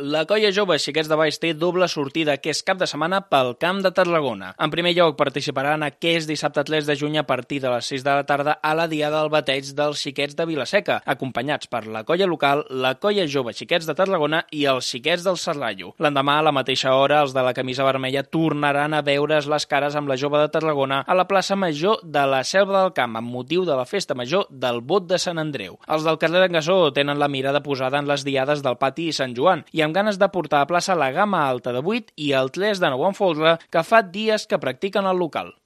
La Colla Jove Xiquets de Valls té doble sortida aquest cap de setmana pel Camp de Tarragona. En primer lloc, participaran aquest dissabte 3 de juny a partir de les 6 de la tarda a la Diada del Bateig dels Xiquets de Vilaseca, acompanyats per la colla local, la Colla Jove Xiquets de Tarragona i els Xiquets del Serrallo. L'endemà, a la mateixa hora, els de la camisa vermella tornaran a veure's les cares amb la Jove de Tarragona a la plaça Major de la Selva del Camp, amb motiu de la festa major del Bot de Sant Andreu. Els del carrer d'en Gassó tenen la mirada posada en les diades del Pati i Sant Joan i amb ganes de portar a plaça la gamma alta de 8 i el 3 de 9 en folre que fa dies que practiquen al local.